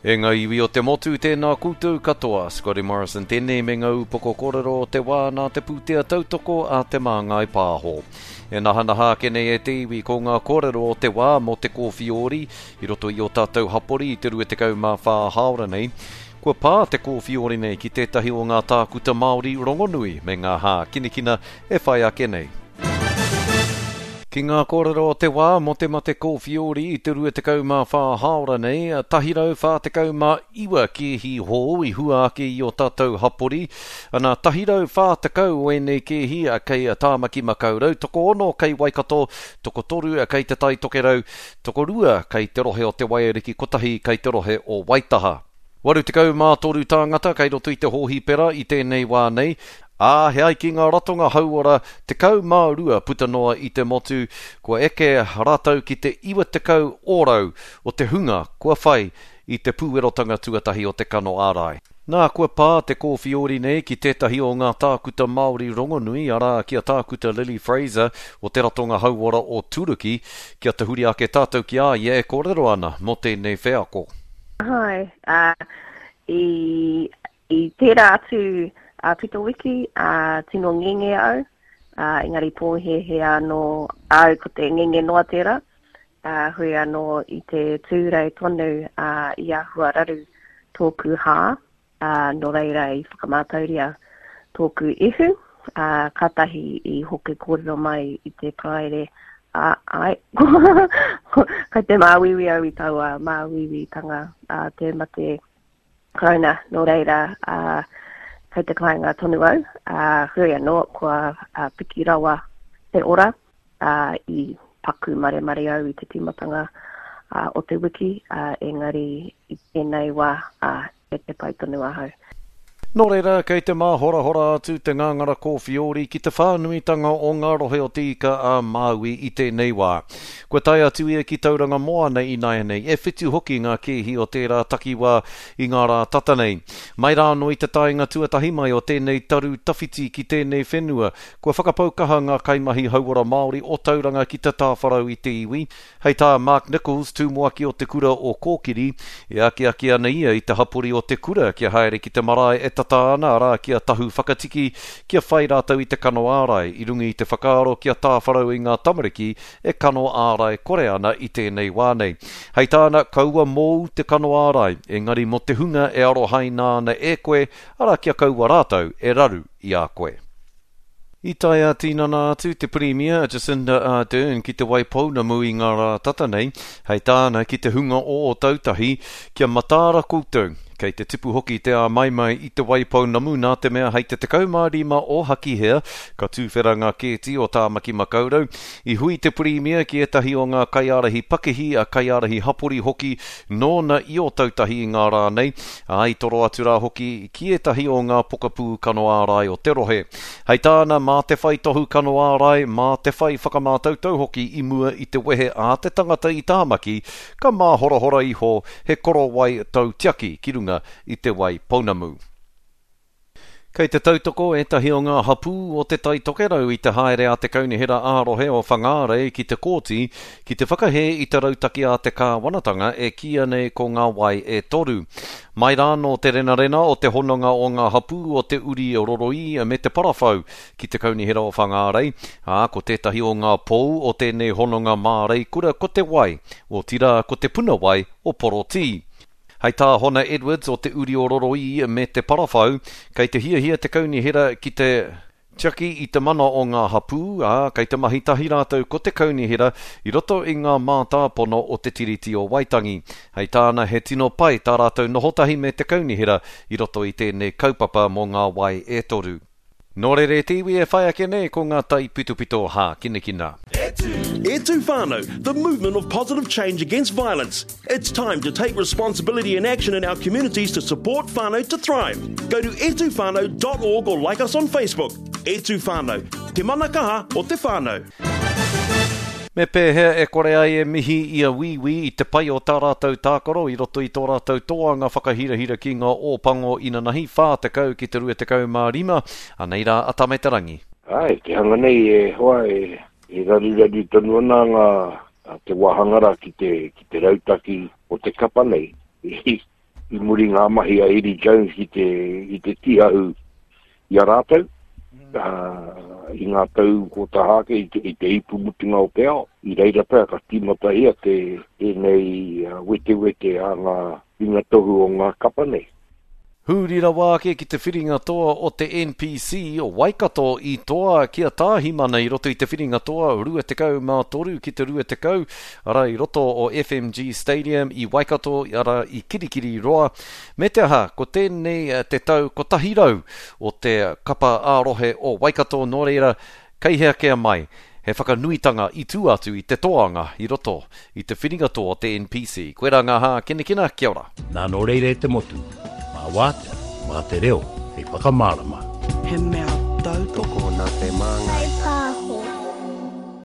E ngā iwi o te motu, tēnā koutou katoa. Scotty Morrison tēnei me ngā upoko kōrero o te wā nā te pūtea tautoko a Te Māngai Pāho. E nahanaha ake nei e te iwi ko ngā kōrero o te wā mō te kōwhiori i roto i ō tātou hapori i te 24 hāora nei. Kua pā te kōwhiori nei ki tētahi o ngā tākuta Māori rongonui me ngā hākinakina e whai ake nei. Ki ngā kōrero o te wā mō te mate kōwhiori i te 24 hāora nei, 149 kēhi hou i hua ake i ō tātou hapori. Ana, 140 o ēnei kēhi kei Tāmaki Makaurau, tokoono kei Waikato, tokotoru kei Te Tai Tokerau, tokorua kei te rohe o Te Waiariki, kotahi kei te rohe o Waitaha. 83 tāngata kei roto i te hōhipera i tēnei wā nei, ā, he ai ki ngā ratonga hauora 12 puta noa i te motu, kua eke rātou ki te 90 ōrau o te hunga kua whai i te pūerotanga tuatahi o te kano ārai. Nā, kua pā te kōwhiori nei ki tētahi o ngā tākuta Māori rongonui, arā, ki a Tākuta Lily Fraser o te Ratonga Hauora o Turuki, kia tahuri ake tātou ki a ia e kōrero ana mō tēnei wheako. Hi, uh, i, i tērā atu a pito wiki, uh, tino ngenge au, uh, engari pōhēhē anō au ko te ngenge noa tērā. Ā, hui anō i te Tūrei tonu, ā, i āhua raru tōku hā, ā, nō reira i whakamātauria tōku ihu, ā, kātahi i hoki kōrero mai i te Paraire, ā, āe, kai te māuiui au i taua māuiuitanga, ā, te mate Karauna, nō reira, ā, kei te kāinga tonu au, ā, hui anō, kua piki rawa te ora. ā, i paku maremare au i te tīmatanga o te wiki, ā, engari i tēnei wā, ā, e te pai tonu ahau. Nō reira, kei te māhorahora atu te ngāngara kōwhiori ki te whānuitanga o ngā rohe o Te Ika a Māui i tēnei wā. Kua tae atu ia ki Tauranga Moana ināianei, e whitu hoki ngā kēhi o tērā takiwā i ngā rā tata nei. Mai rānō i te taenga tuatahi mai o tēnei taru tawhiti ki tēnei whenua, Kua whakapau kaha ngā kaimahi hauora Māori o Tauranga ki te tāwharau i te iwi. Hei tā Mark Nicholls, tumuaki o te kura o Kōkiri, e akiaki ana ia i te hapori o te kura kia haere ki te marae e tata ana, arā, ki a Tahu Whakatiki, kia whai rātou i te kano ārai, i runga i te whakaaro kia tāwharau i ngā tamariki e kano ārai kore ana i tēnei wā nei. Hei tāna, kaua mōu te kano ārai, engari mō te hunga e arohaina ana e koe, arā, kia kaua rātou e raru i a koe. I tae ā-tinana atu te Pirimia a Jacinda Ardern ki Te Waipounamu i ngā rā tata nei, hei tāna ki te hunga o Ōtautahi, kia mataara koutou. Kei te tipu hoki te āmaimai i Te Waipounamu nā te mea hei te 15 o Hakihea ka tūwhera ngā kēti o Tāmaki Makaurau. I hui te Pirimia ki ētahi o ngā kaiārahi pakihi, kaiārahi hapori hoki nōna i Ōtautahi i ngā rā nei, ā, i toro atu rā hoki ki ētahi o ngā pokapū kano ārai o te rohe. Hei tāna, mā te whai tohu kano ārai, mā te whai whakamātautau hoki i mua i te wehe a te tangata i Tāmaki, ka māhorahora iho he korowai tautiaki ki runga i te wai pounamu. Kei te tautoko ētahi o ngā hapū o Te Tai Tokerau i te haere a te Kaunihera ā-Rohe o Whangārei ki te kōti ki te whakahē i te rautaki a te kāwanatanga e kīia nei ko Ngā Wai e Toru. Mai rānō te renarena o te hononga o ngā hapū o Te Uri Roroī me Te Parawhau ki te Kaunihera o Whangārei, ā, ko tētahi o ngā pou o tēnei hononga māreikura ko te wai, otirā ko te puna wai o Porotī. Hei tā Hona Edwards o Te Uri o Roroī me Te Parawhau, kei te hiahia te kaunihera ki te tiaki i te mana o ngā hapū, ā, kei te mahi tahi rātou ko te kaunihera i roto i ngā mātāpono o Te Tiriti o Waitangi. Hei tāna he tino pai tā rātou noho tahi me te kaunihera i roto i tēnei kaupapa mō ngā wai e toru. Nō reira e te iwi e whai ake nei ko ngā taipitopito hākinakina. E tū! E tū whānau, the movement of positive change against violence. It's time to take responsibility and action in our communities to support whānau to thrive. Go to etuwhānau.org or like us on Facebook. E tū whānau, te mana kaha o te whānau. Me pēhea e kore ai e mihi i a Wīwī i te pai o tā rātou tākaro i roto i tō rātou toanga whakahirahira ki ngā Ō Pango inanahi, 40 ki te 25, anei rā a Tame Te Rangi. Āe, te hanga nei e hoa e raruraru tonu ana ngā, te wāhanga rā ki te, ki te rautaki o te kapa nei. I muri ngā mahi a Eddie Jones ki te, ki te tiahu i a rātou, ā, i ngā tau ko taha ake i te, i te ipu mutunga o te ao. I reira pea ka tīmatahia te, tēnei wetewete a ngā ringatohu o ngā kapa nei. Huri rawa ake ki te whiringa toa o te NPC, Waikato i toa ki a Tāhimana i roto i te whiringa toa 23 ki te 20, arā i roto o FMG Stadium i Waikato, arā i Kirikiriroa. Me te aha, ko tēnei te tau 100 o te kapa ā-rohe o Waikato, nō reira, Kei hea kē mai, he whakanuitanga i tū atu i te toanga i roto i te whiringa toa o te NPC. Koirā ngā hākinakina, kia ora. Nā nō reira e te motu, mā wātea, mā te reo hei whakamārama. He mea tautoko. Tokona te māngai.